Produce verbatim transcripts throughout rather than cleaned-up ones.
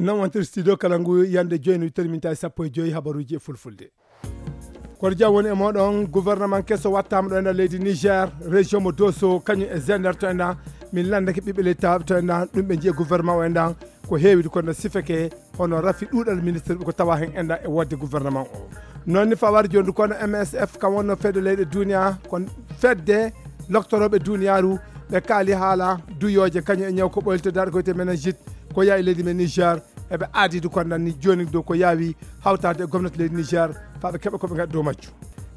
Non wontir studio kala ngu yande joyi no terminta e sappo e joyi habaruji e fulfulde. Koto jam woni e moɗon. Gouvernement keso wattama ɗo e nder leydi Niger, région mo Dosso, kañum e Zender to enɗan. Min landake ɓiɓɓe leydi tawaɓe to enɗan, ɗum ɓe jiya gouvernement o enɗan. Ko heewide kono sifeke hono rafi ɗuɗal ministre ko tawa hen enɗan e wodde gouvernement o. Noon ni fawade jondu kono M S F, kam wonno fedde leyɗe duniya, ko fedde loktoroɓe duniyaru, ɓe kaali haala duyooje kañum e ñaw ko ɓoylitodaɗo ko wiyete meningite, ko yaha e leydi men Niger. Eɓe aadidi kono nan ni joni dow ko yaawi hawtade e gomnati leydi Niger, faa ɓe keɓa ko ɓe ngaɗi dow majju.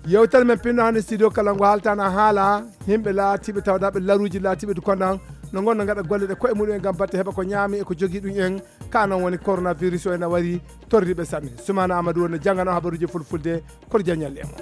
Yewtere men pinno hannde studio kala ngo haaltana haala yimɓe laatiɓe tawdaɓe laruji laatiɓe du kono nan no ngonno ngaɗa golle ɗe koye muɗum en ngam batte heɓa ko ñaami e ko jogii ɗum en. Ka non woni coronavirus o ena wari torriɓe sanne. Sumana Amadou woni janngano habaruji fulfulde. Koto jañal e mo.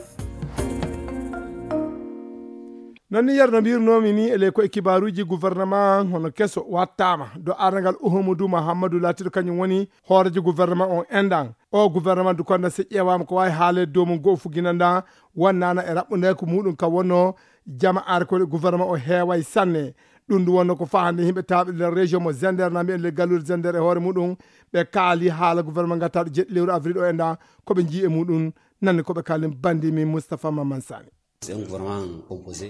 Non ni yerno mbirnomi ni e ley koye kibaruji gouvernement hono keso wattama do arngal Uhumudu Mahammadu laatiɗo kañum woni hoorejo gouvernement on enɗan. O gouvernement du kono si ƴeewama ko wawi haale dow mum goo fuginanda wonnana e raɓɓude ko muɗum ka wonno jama'aare ko gouvernement o heeway sanne. Ɗum ndu wonno ko fahande yimɓe tawɓe nder région mo Zender na mbiyen le gallude Zender e hoore muɗum. Ɓe kaali haala gouvernement gattaɗo jeɗɗi lewru avril o enɗan ko ɓe jii e muɗum. Nanne ko ɓe kaali bandi min Moustapha Maman Sani.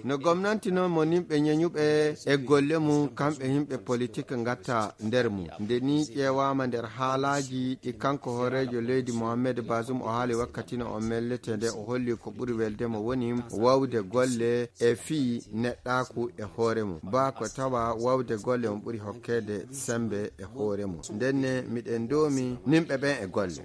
No gomnanti noon mo nimɓe ñeñuɓe e golle mum, kamɓe yimɓe politik ngatta nder mum. Nde ni ƴeewaama nder haalaaji ɗi kanko hooreejo leydi Mohamed Bazoum o haali wakkati no o mellete nde o holli ko ɓuri welde mo woni wawde golle e fii neɗɗaaku e hoore mum. Ba ko tawa wawde golle mum ɓuri hokkeede sembe e hoore mum. Ndenne miɗen doomi nimɓe ɓen e golle.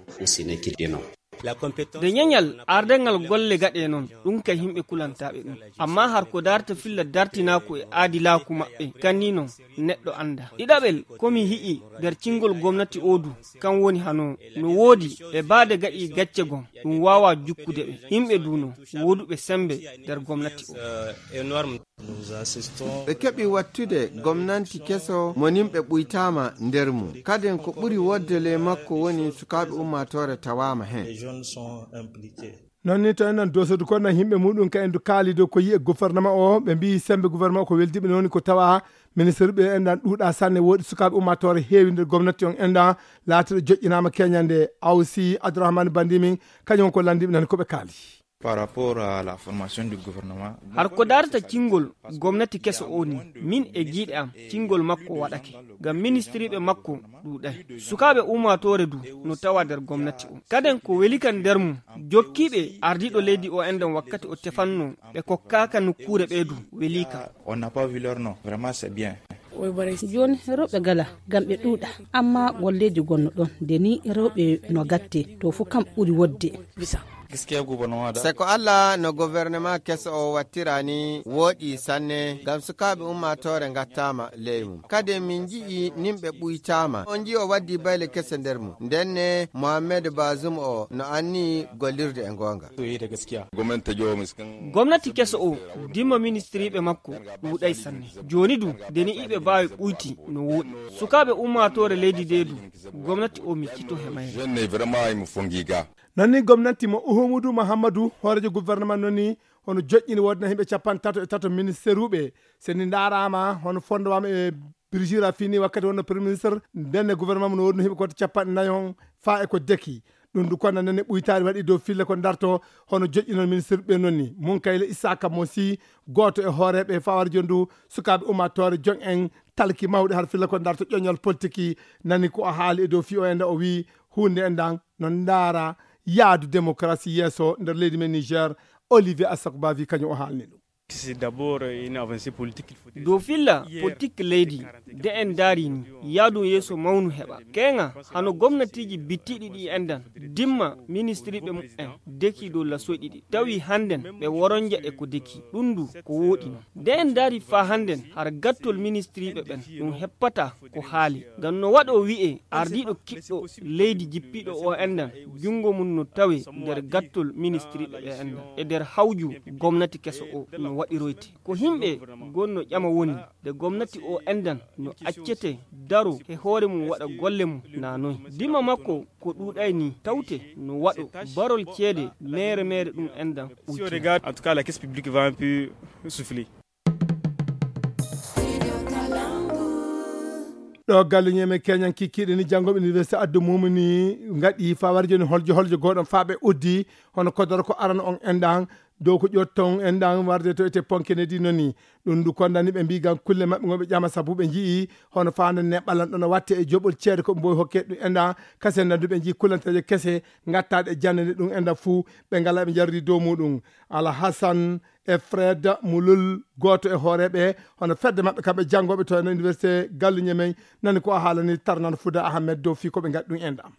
Nde ñeñal ardengal golle gaɗe noon, ɗum kay yimɓe kulantaaɓe ɗum. Amma har ko darta filla dartinaaku e aadilaaku maɓɓe, kanni noon neɗɗo annda. Ɗiɗaɓel, ko mi hi'i nder cingol gomnati o du, kan woni hano no woodi ɓe baade gaɗi gacce gom, ɗum waawa jukkude ɓe. Yimɓe du no wooduɓe sembe nder gomnati o. Ɓe keɓi wattude gomnanti keso mo nimɓe ɓuytaama nder mum. Kaden ko ɓuri wodde ley makko woni sukaaɓe ummaatoore tawaama heen. Noon ni to enen dosodu kono yimɓe muɗum ka en du kaali dow ko yi'e gouvernement o, ɓe mbiyi sembe gouvernement o ko weldiɓe noon ko tawa ministre ɓe enɗan ɗuuɗa sanne, woodi sukaaɓe ummaatoore heewi nder gomnati on enɗan laatiɗo joƴƴinaama keñande. Awsi Abdourahmane Bandimin kañum ko landiɓe nan ko ɓe kaali. Par rapport à la formation du gouvernement. Har ko darta cingol gomnati keso o ni, min e giiɗe am, cingol makko waɗake. Ngam ministriiɓe makko ɗuuɗay. Sukaaɓe ummaatoore du no tawa nder gomnati o. Kaden ko weli kan nder mum, jokkiiɓe ardiiɗo leydi o enɗan wakkati o tefanno, ɓe kokkaaka nokkuure ɓe du, weli kan. On n'a pas vu leur nom. Vraiment, c'est bien. Jooni rewɓe gala, ngam ɓe ɗuuɗa, amma golleeji gonno ɗon, nde ni rewɓe no gatte, to fu kam ɓuri wodde. Se ko Allah no gouvernement keso o wattira ni wooɗi sanne, ngam sukaaɓe ummaatoore ngattaama ley mum. Kadi min nji'i nimɓe ɓuytaama. On nji'i o waddi bayle kese nder mum. Ndenne Mohamed Bazoum o no anni gollirde e goonga. Gomnati keso o, dimma ministriiɓe makko ɗuuɗay sanne. Jooni du, nde ni iɓe baawi ɓuyti no wooɗi. Sukaaɓe ummaatoore leydi nde du, gomnati o miccito he mayre. Jeune ne vraiment imo fongi ga. Noon ni gomnati mo Uhumudu Mahammadu, hooreejo gouvernement noon ni, hono joƴƴini woodna yimɓe capanɗe tato e tato ministeruɓe. So ni ndaaraama, hono fondowama e Birjira fini wakkati wonno premier ministre, ndenne gouvernement mo no woodno yimɓe koto capanɗe nayi on faa e ko deki. Ɗum du kono nene ɓuytaari waɗi dow filla ko darto hono joƴƴinol ministre ɓe noon ni. Mun Kayla Issaka Mosi, gooto e hooreeɓe fawar jondu sukaaɓe ummaatoore jon en talki mawɗi har filla ko darto ƴoñol politiki nani ko o haali e dow fii o enda o wii huunde endan no ndaara yaadu démocratie yeeso nder leydi men Niger. Olivier Assokuba wii kañum o haalni ɗum. C'est d'abord une avancée politique. Dow filla politik leydi, de en ndaari ni, yaadu yeeso mawnu heɓa. Keŋa, hano gomnatiiji bittiiɗi ɗi endan, dimma ministriiɓe mumen, deki dow lasoyɗi ɗi. Tawi hannden ɓe woronja e ko deki, ɗum du ko wooɗi non. De en ndaari faa hannden, har gattol ministriiɓe ɓen, ɗum heppata ko haali. Ngam no waɗo wi'e, ardiiɗo kiɗɗo leydi jippiiɗo o endan, junngo mum no tawe nder gattol ministriiɓe ɓe endan, e nder hawju gomnati keso o no waɗiroyte. Ko himɓe gonno ƴama woni, nde gomnati o endan no accete daro he hoore mum waɗa golle mum na noy. Dima makko ko ɗuuɗay ni tawte no waɗo barol ceede mere mere ɗum endan. Si on regarde, en tout cas, la caisse publique va un peu souffler. To galle ñeme keñan kikkiiɗe ni, janngoɓe université addu mumuni ngaɗi fawar joni holjo holjo goɗon faɓe uddi, hono kodoro ko arano on enɗan, dow ko ƴotton enɗan warde to ete ponke ne di noni. Ɗum ndu kondani ɓe mbi gam kulle maɓɓe ngo ɓe ƴama sabu ɓe njii hono fande ne ɓalan ɗon watte e joɓol ceede ko mboy hokke ɗum enɗan, kasen nandu ɓe njii kullanteeje kese ngattaɗe e jannde nde ɗum enɗan fuu ɓe ngala ɓe jarri dow muɗum. Alhasan e Fred Mulul, gooto e hooreeɓe hono fedde maɓɓe kamɓe janngooɓe to e université Gallu Ñemey, nani ko o haalani Tarnan Fuda Ahmed dow fii ko ɓe ngaɗi ɗum enɗan.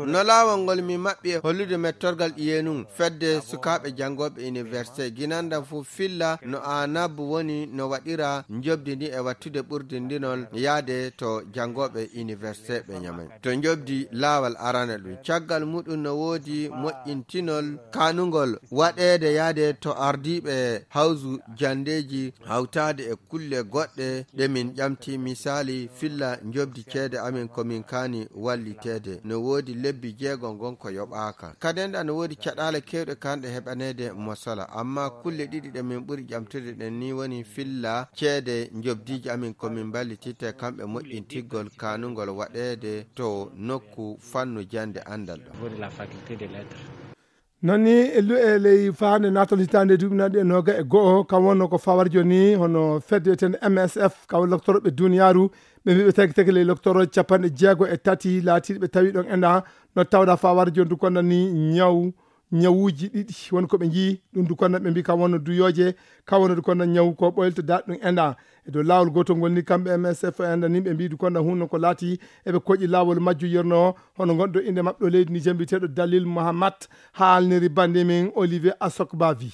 No laawol ngol min maɓɓi e hollude mettorgal ƴiyenun fedde sukaaɓe janngooɓe université ginandan fof filla no anab woni no waɗira njoɓdi ndi e wattude ɓurdindinol yaade to janngooɓe université ɓe ñamay to njoɓdi laawol arana ɗum caggal muɗum no woodi moƴƴintinol kanungol waɗeede yaade to ardiiɓe hawsu janndeeji hawtaade e kulle goɗɗe ɗe min ƴamti misaali filla njoɓdi ceede amin ko min kaani walliteede no woodi lebbi jeegom gon ko yoɓaaka kadenɗa no woodi caɗaale kewɗe kanɗe heɓaneede mosola amma kulle ɗiɗi ɗe min ɓuri ƴamtude ɗen ni woni filla ceede njoɓdiiji amin ko min mballititte kamɓe moƴƴintiggol kanungol waɗeede to nokku fannu jannde anndal ɗo Nani e lu'e ley faande natal hitaande duuɓi naɗi e nooga e go'o kam wonno ko fawarjo ni hono fedde wiyeteende M S F kam loktoroɓe duniyaaru ɓe mbiɓe tagi tagi ley loktoro capanɗe jeego e tati laatiiɗo ɓe tawi ɗon enɗa no tawda fawarjo ndu konna ni ñaw ñawuuji ɗiɗi woni ko ɓe njii ɗum ndu konna ɓe mbi kam wonno duyooje kam wonno ndu konna ñaw ko ɓoylto daɗ ɗum enɗa e dow laawol gootol ngol ni kamɓe M S F enɗa ni ɓe mbi ndu konna hunno ko laati eɓe koƴi laawol majju yirno hono gonɗo innde maɓɓe ɗo leydi Niger mbiyeteeɗo Dalil Mohammad haalniri bannde men Olivier Asokbavi.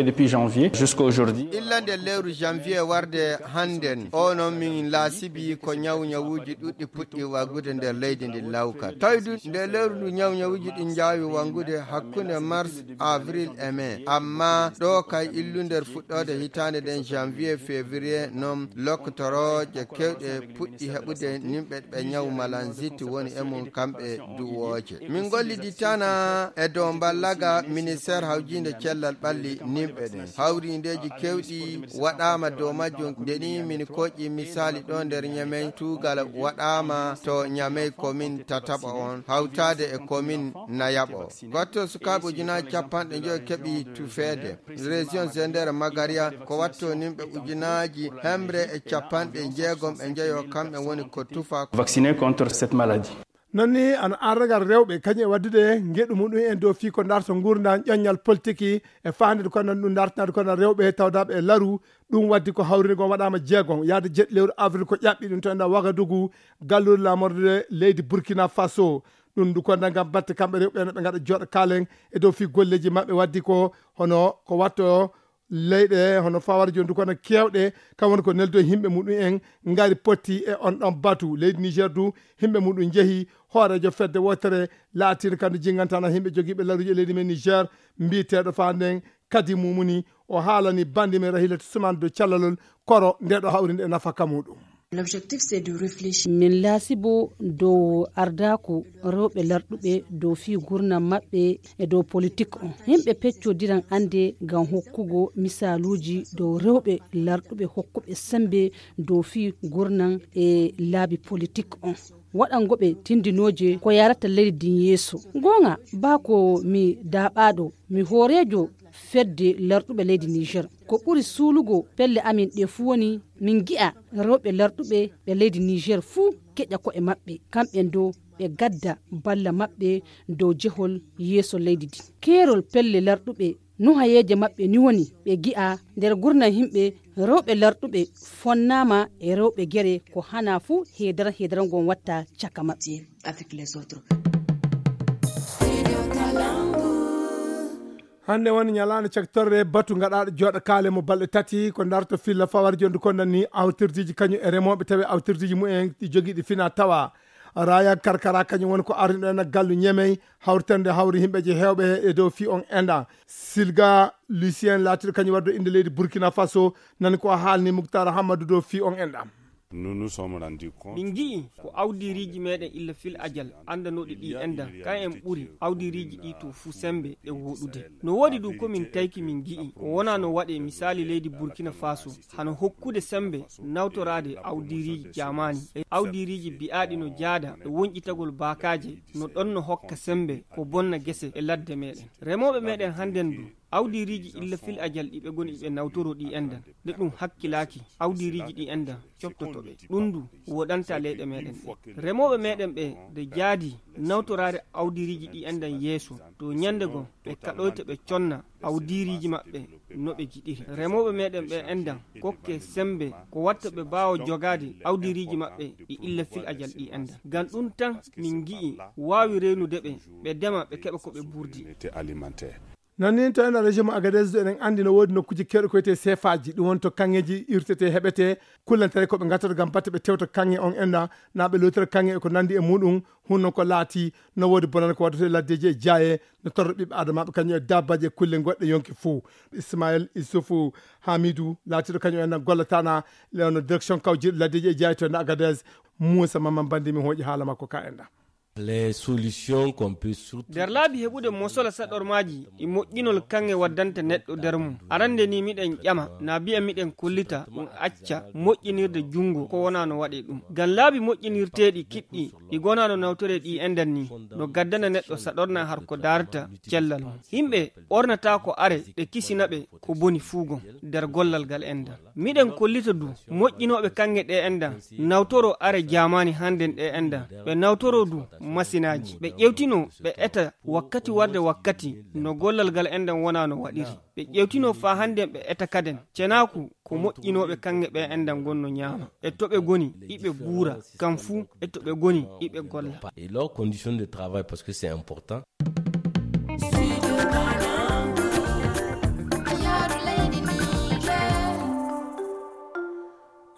Depuis janvier jusqu'à aujourd'hui. Illa nde lewru janvier warde hannden o noon min laasibi ko ñaw ñawuuji ɗuɗɗi puɗɗi waggude nder leydi ndi lawka tawi du nde lewru ndu ñaw ñawuuji ɗi njaawi wanngude hakkunde mars avril e mai amma ɗo kay illu nder fuɗɗoode hitaande nden janvier février noon loktorooje kewɗe puɗɗi heɓude nimɓe ɓe ñaw malanzit woni e mum kamɓe duwooje min golliditana e dow mballaga ministère hawjiinde cellal ɓalli nimɓe ɗen hawrindeeji kewɗi waɗaama dow majjum nde ni min koƴƴi misaali ɗo nder ñamey tuugal waɗaama to ñamey komin tataɓo on hawtaade e komin nayaɓo gotto sukaaɓe ujunaaji capanɗe njoyo keɓi tufeede région zender magaria ko watto nimɓe ujunaaji hemre e capanɗe jeegom e njeyo kamɓe woni ko tufa Vacciné contre cette maladie. Noon ni ano arragal rewɓe kañum e waddude ngeɗu muɗum en dow fii ko darto ngurndan ƴoññal politiki e faandude ko nan ɗum dartanaade ko nan rewɓe tawdaaɓe e laru ɗum waddi ko hawrinde goo waɗaama jeegom yahde jeɗɗi lewru avril ko ƴaɓɓi ɗum to enɗa Wagadugu galluure laamorde leydi Burkina Faso ɗum ndu konda ngam batte kamɓe rewɓe no ɓe ngaɗa jooɗo kaalen e dow fii golleeji maɓɓe waddi ko hono ko watto leyɗe hono fawara joni du kono kewɗe kam woni ko neldo e yimɓe muɗum en ngari potti e on ɗon batu leydi Niger du yimɓe muɗum jeehi hoorejo fedde wotere laatino kamde jingantana yimɓe jogiiɓe laruji e leydi men Niger mbiyeteɗo fa nden kadi mumuni o haalani bandi men Rahilatu Suman do callalol koro nde ɗo hawrinde e nafaka muɗum. Min laasibo dow ardaaku rewɓe larɗuɓe dow fii gurnam maɓɓe e dow politik on. Yimɓe peccodiran annde ngam hokkugo misaaluuji dow rewɓe larɗuɓe hokkuɓe semmbe dow fii gurnam e laabi politik on. Waɗango ɓe tindinooje ko yaarata leydi ndin yeeso. Goonga, baa ko mi daaɓaaɗo, mi hooreejo fedde larɗuɓe leydi Niger. Ko ɓuri suulugo pelle amin ɗe fuu woni min ngi'a rewɓe larɗuɓe ɓe leydi Niger fuu keƴa ko'e maɓɓe, kamɓen dow ɓe gadda balla maɓɓe dow jehol yeeso leydi ndin. Keerol pelle larɗuɓe nuhayeeje maɓɓe ni woni ɓe ngi'a nder gurnam yimɓe rewɓe larɗuɓe fonnaama e rewɓe gere ko hanaa fuu heedara heedara ngon watta caka maɓɓe. Hannde woni ñalaande caktorre batu gaɗaaɗo jooɗo kaale mo balɗe tati ko darto filla fawar jondu kondan ni awtirdiiji kañum e remooɓe tawi awtirdiiji mumen ɗi jogiiɗi fina tawa raya karkara kañum woni ko ardiɗo en gallu ñemey hawritande hawri yimɓeji heewɓe e dow fii on enɗa silga lucien laatiɗo kañum waddo innde leydi Burkina Faso nani ko haalni Muktar Hammadou dow fii on enɗam. Min ngi'i ko awdiiriiji meɗen illa fil ajal anndanooɗi ɗi enɗan, kan en ɓuri awdiiriiji ɗi to fuu semmbe e wooɗude. No woodi du ko min tayki min ngi'i ko wonaa no waɗee, misaali leydi Burkina Faso, hano hokkude semmbe nawtoraade awdiiriiji jaamaani e awdiiriiji bi'aaɗi no jaada e wonƴitagol baakaaje, no ɗon no hokka semmbe ko bonna gese e ladde meɗen. Remooɓe meɗen hannden du, awdiiriiji illa fil ajal ɗi ɓe ngoni ɓe nawtoroo ɗi enɗan, nde ɗum hakkilaaki, awdiiriiji ɗi enɗan coptoto ɓe. Ɗum du woɗanta leyɗe meɗen ɗe. Remooɓe meɗen ɓe nde jaadi nawtoraade awdiiriiji ɗi enɗan yeeso, to ñannde goo ɓe kaɗoyta ɓe conna awdiiriiji maɓɓe no ɓe jiɗiri. Remooɓe meɗen ɓe enɗan kokke semmbe ko watta ɓe mbaawa jogaade awdiiriiji maɓɓe ɗi illa fil ajal ɗi enɗan. Ngam ɗum tan min ngi'i waawi reenude ɓe, ɓe ndema, ɓe keɓa ko ɓe mburdi. Non ni to ena région mo Agadez, eɗen anndi no woodi nokkuuji keewɗi ko wiyetee seefaaji, ɗum woni to kaŋŋeeji irtetee, heɓetee, kullantare ko ɓe ngattata ngam batte ɓe tewta kaŋŋe on enɗan, naa ɓe lootira kaŋŋe e ko nanndi e muɗum. Hun non ko laati no woodi bonande ko waddata e laddeeji e jaaye, no torra ɓiɓɓe aadamaaɓe kañum e dabbaaji e kulle goɗɗe yonki fuu. Ismail Isufu Hamidu laatiiɗo kañum enɗan gollataana lewno direction kawjiiɗo laddeeji e jaaye to enɗan Agadez. Muusa Mamman Bandi mi hooƴi haala makko ka enɗan. Les solutions qu'on peut surtout Nder laabi heɓude mosola saɗormaaji ɗi moƴƴinol kaŋŋe waddanta neɗɗo nder mum. Arande ni miɗen ƴama, na biya miɗen kollita ɗum acca moƴƴinirde junngo ko wonaa no waɗee ɗum. Ngam laabi moƴƴinirteeɗi kiɗɗi ɗi gonaa no nawtoree ɗi enɗan ni, no gaddana neɗɗo saɗorna har ko daarata cellal mum. Yimɓe ɓornata ko are ɗe kisina ɓe ko boni fuu gom nder gollal ngal enɗan. Miɗen kollita du moƴƴinooɓe kaŋŋe ɗe enɗan nawtoro are jaamaani hannden ɗe enɗan. Ɓe nawtoro du masinaaji. Ɓe ƴewtino ɓe eta wakkati warde wakkati no gollal ngal enɗan wonaa no waɗiri. Ɓe ƴewtino faa hannden ɓe eta kaden. Cenaaku ko moƴƴinooɓe kaŋŋe ɓe enɗan ngon no ñaama. E to ɓe ngoni, iɓe buura, kam fuu e to ɓe ngoni, iɓe golla. Et leurs conditions de travail, parce que c'est important.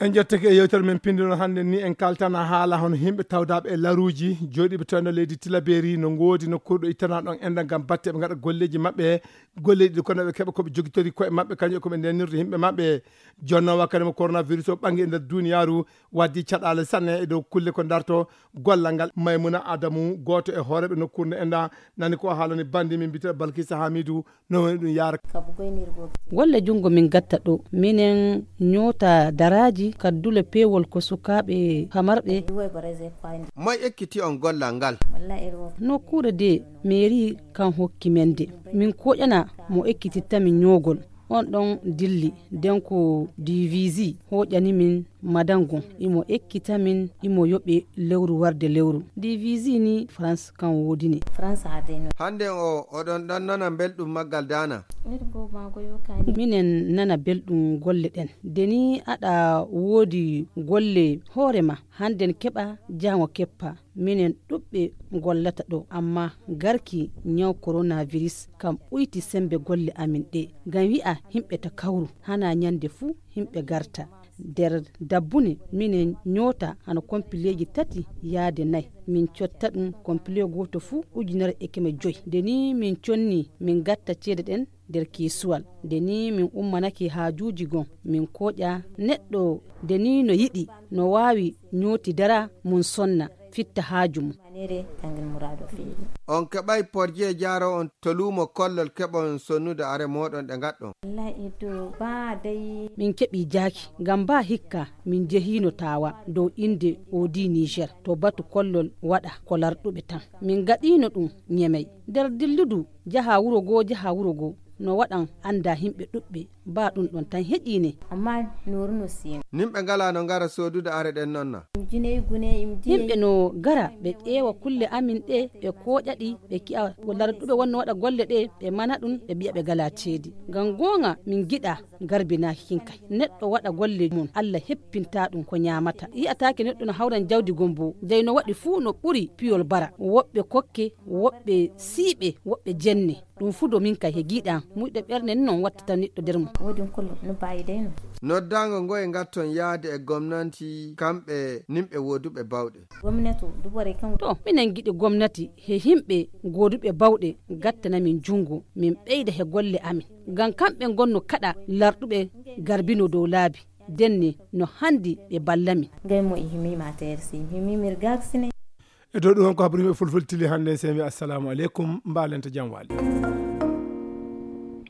En ƴettake e yewtere men pinndino hannde ni, en kaltana haala hono yimɓe tawdaaɓe e laruuji, jooɗiiɓe to nder leydi Tilaberi, no ngoodi nokkuure ɗo ittana ɗon enɗan ngam batte ɓe ngaɗa golleeji maɓɓe, golleeji ɗi kono ɓe keɓa ko ɓe jogitori koye maɓɓe, kañum e ko ɓe ndenirta yimɓe maɓɓe. Jonno wakkati mo coronavirus o ɓangi e nder duniyaaru, waddi caɗaale sanne e dow kulle ko darto gollal ngal. Maymuna Adamu, gooto e hooreeɓe nokkuure nde enɗan, nani ko haalani bandi min mbiyetee Balkisa Hamidu, no woni ɗum yaara. Golle junngo min gatta ɗo, minen ñoota daraaji, kaddule peewol ko sukaaɓe famarɓe. Moy ekkiti on gollal ngal? Nokkuure de, meeri kan hokki men de. Min koƴana mo ekkititta min ñoogol. On ɗon dilli, den ko divisi hoƴani min madango, imo ekkita min, imo yoɓe lewru warde lewru. Divisi ni France kan woodini. Hannden o, oɗon ɗon nana mbelɗum maggal daana? Minen nana belɗum golle ɗen. De ni aɗa woodi golle hoore ma, hannden keɓa, jaango keppa. Minen ɗuɓɓe gollata ɗo, amma garki ñaw coronavirus kam ɓuyti sembe golle amin ɗe. Ngam wi'a himɓe ta kawru, hana ñande fuu himɓe garta. Nder dabbune, minen ñoota hano kompileeji tati yaade nay. Min cotta ɗum kompile gooto fuu ujunere e keme joy. Nde ni min conni, min gatta ceede ɗen nder keesuwal. Nde ni min ummanake haajuuji gon, min kooƴa neɗɗo nde ni no yiɗi, no waawi ñooti dara mum sonna, fitta haaju mum. On keɓay porje jaaro on to luumo kollol keɓon sonnude are mooɗon ɗe ngaɗɗon? Min keɓi jaaki, ngam ba hikka min jehiino Taawa dow innde Oodi Niger, to batu kollol waɗa ko larɗuɓe tan. Min gaɗiino ɗum Ñemey. Nder dilludu jaha wuro goo, jaha wuro goo, no waɗan annda himɓe ɗuɓɓe, ba ɗum ɗon tan heƴiine. Amma nooru no siiŋ. Nimɓe ngalaa no ngara soodude are ɗen non na? Im jiney gune, im jiney. Himɓe no gara ɓe ƴeewa kulle amin ɗe, ɓe kooƴa ɗi, ɓe ki'a ko larɗuɓe wonno waɗa golle ɗe, ɓe mana ɗum, ɓe mbi'a ɓe ngalaa ceedi. Ngam gooŋa min ngiɗa garbinaaki kin kay. Neɗɗo waɗa golle mum, Allah heppinta ɗum ko ñaamata. Yi'ataake neɗɗo no hawran jawdi gom bo, dey no waɗi fuu no ɓuri piyol bara. Woɓɓe kokke, woɓɓe siiɓe, woɓɓe jenne. Ɗum fuu do min kay he giiɗam, muyɗe ɓerne ni non wattata neɗɗo nder mum. Woodi on kollo no baayi dey no. Noddaango ngoye ngatton yaade e gomnanti kamɓe nimɓe wooduɓe bawɗe? Gomnati o, duɓore kan. To, minen ngiɗi gomnati he himɓe gooduɓe bawɗe gattana min junngo, min ɓeyda he golle amin. Ngam kamɓe ngonno kaɗa larɗuɓe garbino dow laabi. Denne no handi ɓe ballami. Gay mo ihimi ma tersi, ihimi mirgak sine. E dow ɗum ko habrimi e fulfultili hannde, semi assalamu aleykum, mbalenta jam wali.